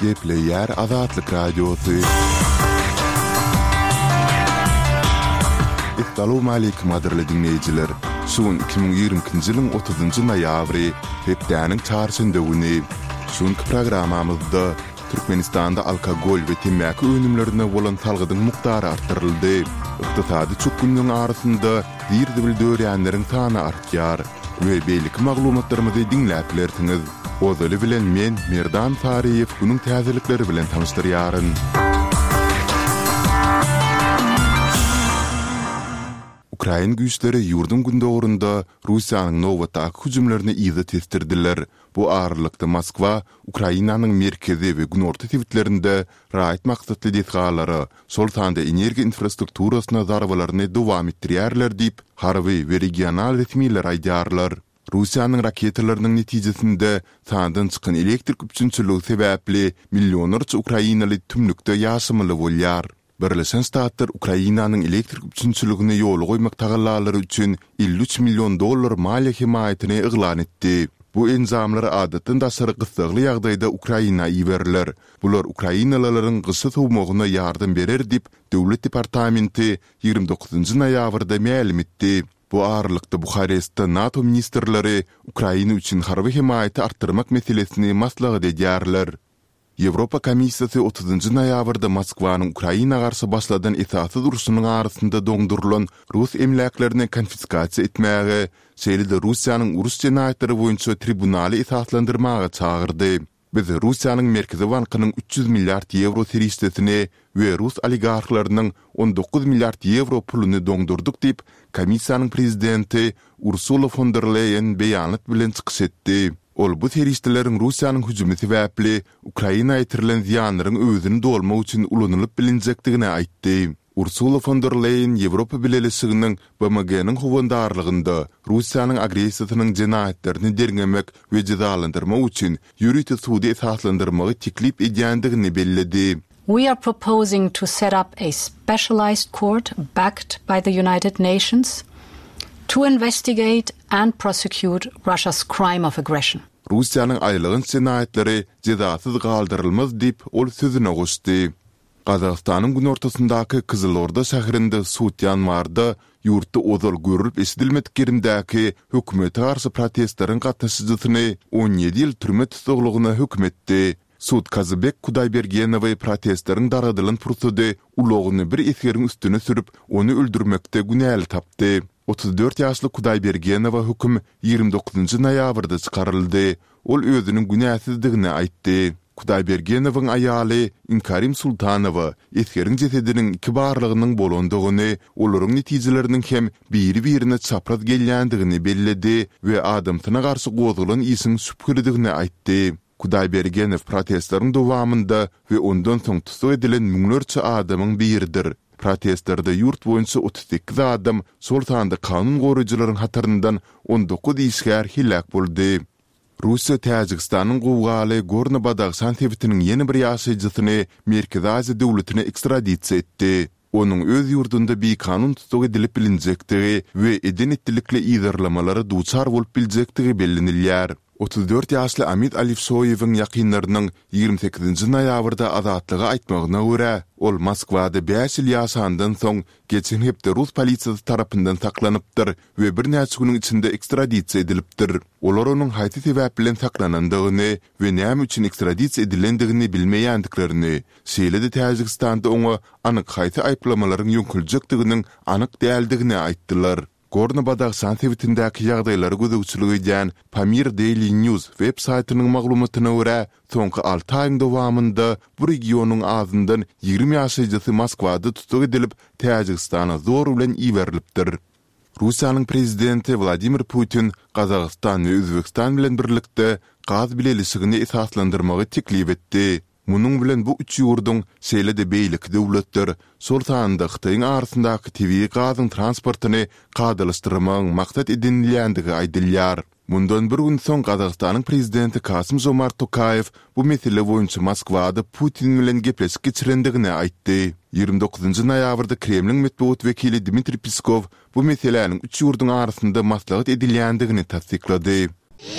Gepleýär Azatlyk Radiosy. Essalawmaleýkim gadyrly diňleýjiler! Şu gün 2022-nji ýylyň otuzynjy noýabry, hepdäniň çarşenbe güni. Şu günki programmamyzda Türkmenistanda alkogol we temmäki önümlerine bolan salgydyň mukdary artdyryldy. Ykdysady çökgünligiň arasynda zir-zibil dörýänleriň sany artýar we beýleki maglumatlarymyzy diňläp bilersiňiz. Ozaly bilen men, Merdan Saryýew günüň täzelikleri bilen tanyşdyrýaryn. Ukrain güýçleri ýurduň gündogarynda Russiýanyň nobatdaky hüjümlerini yza tesdirdiler. Bu aralykda Moskwa Ukrainanyň merkezi we günorta sebitlerinde raýat maksatly desgalara, şol sanda energiýa infrastrukturasyna zarbalaryny dowam etdirýärler diýip, harby we regional resmiler aýdýarlar. Russiýanyň raketalarynyň netijesinde sandan çykan elektrik üpjünçiligi sebäpli millionlarça ukrainaly tümlükde ýaşamaly bolýar. Birleşen Ştatlar Ukrainanyň elektrik üpjünçiligini ýola goýmak tagallalary üçin 53 million dollar maliýe hemaýatyny yglan etdi. Bu enjamlar adatdan daşary gyssagly ýagdaýda Ukraina iberiler. Bular ukrainalylaryň gyşy sowmagyna ýardam berer diýip, Döwlet departamenti 29 noýabrda mälim etdi. Bu aralykda Buharestde NATO ministrleri Ukraina üçin harby hemaýaty artdyrmak meselesini maslahat edýärler. Ýewropa Komissiýasy otuzynjy noýabrda Moskwanyň Ukraina garşy başladan esassyz urşunyň arasynda doňdurylan rus emläklerini konfiskasiýa etmäge, şeýle-de Russiýanyň uruş jenaýatlary boýunça tribunaly esaslandyrmaga çagyrdy. Biz Russiýanyň Merkezi bankynyň 300 milliard ýewro serişdesini we rus oligarhlarynyň 19 milliard ýewro puluny doňdurdyk diýip, Komissiýanyň prezidenti Ursula fon der Leýen beýanat bilen çykyş etdi. Ol bu serişdeleriň Russiýanyň hüjümi sebäpli Ukraina ýetirilen zyýanlaryň öwezini dolmak üçin ulanylyp bilinjekdigini aýtdy. Ursula fon der Leýen Ýewropa Bileleşiginiň BMG-niň howandarlygynda Russiýanyň agressiýasynyň jenaýatlaryny derňemek we jezalandyrmak üçin ýörite sudy esaslandyrmagy teklip edýändigini belledi. We are proposing to set up a specialized court backed by the United Nations to investigate and prosecute Russia's crime of aggression. Russiýanyň aýylganç jenaýatlary jezasyz galdyrylmaz diýip, ol sözüne goşdy. Gazagystanyň günortasyndaky Kyzylorda şäherinde sud ýanwarda ýurtda ozal görlüp-eşidilmedik gerimdäki hökümete garşy protestleriň gatnaşyjysyny 17 ýyl türme tussaglygyna höküm etdi. Sud Kazybek Kudaýbergenowy protestleriň dargadylan pursady ulagyny bir esgeriň üstüne sürüp, ony öldürmekde günäli tapdy. 34 ýaşly Kudaýbergenowa höküm 29 noýabrda çykaryldy. Ol özüniň günäsizdigini aýtdy. Kudaýbergenowyň aýaly Inkarim Sultanowa esgeriň jesediniň iki barlagynyň bolandygyny, olaryň netijeleriniň hem biri-birine çapraz gelýändigini belledi we adamsyna garşy gozgalan işiň şübhelidigini aýtdy. Kudaýbergenow protestleriň dowamynda we ondan soň tussag edilen müňlerçe adamyň biridir. Protestlerde ýurt boýunça 38 adam, şol sanda kanun goraýjylaryň hataryndan 19 işgär heläk boldy. Russiýa Täjigistanyň gowgaly Gorno-Badahşan sebitiniň ýene bir ýaşaýjysyny Merkezi Aziýa döwletine ekstradisiýa etdi. Onuň öz ýurdunda bikanun tussag edilip bilinjekdigi we eden-etdilikli yzarlamalara duçar bolup biljekdigi bellenilýär. 34 ýaşly Amid Alifşoýewiň ýakynlarynyň 28-nji noýabrda Azatlyga aýtmagyna görä, ol Moskwada bäş ýyl ýaşandan soň, geçen hepde rus polisiýasy tarapyndan saklanypdyr we birnäçe günüň içinde ekstradisiýa edilipdir. Olar onuň haýsy sebäp bilen saklanandygyny we näme üçin ekstradisiýa edilendigini bilmeýändiklerini, Şeýle-de Täjigistanda oňa anyk haýsy aýyplamalaryň ýöňkeljekdiginiň anyk däldigini aýtdylar. Gorno-Badahşan sebitindäki ýagdaýlara gözegçilik edýän Pamir Daily News web saýtynyň maglumatyna görä, soňky alty aýyň dowamynda bu regionyň azyndan 20 ýaşaýjysy Moskwada tussag edilip, Täjigistana zor bilen iberilipdir. Russiýanyň Prezidenti Wladimir Putin Gazagystan we Özbegistan bilen birlikde gaz bileleşigini esaslandyrmagy teklip etdi. Munuň bilen bu üç ýurduň, şeýle-de beýleki döwletler, şol sanda Hytaýyň arasyndaky tebigy gazyň transportyny kadalaşdyrmagyň maksat edinilýändigi aýdylýar. Mundan bir gün soň Gazagystanyň Prezidenti Kasym-Žomart Tokaýew bu mesele boýunça Moskwada Putin bilen gepleşik geçirendigini aýtdy. 29 noýabrda Kremliň metbugat wekili Dmitriý Peskow bu meseläniň üç ýurduň arasynda maslahat edilýändigini tassyklady.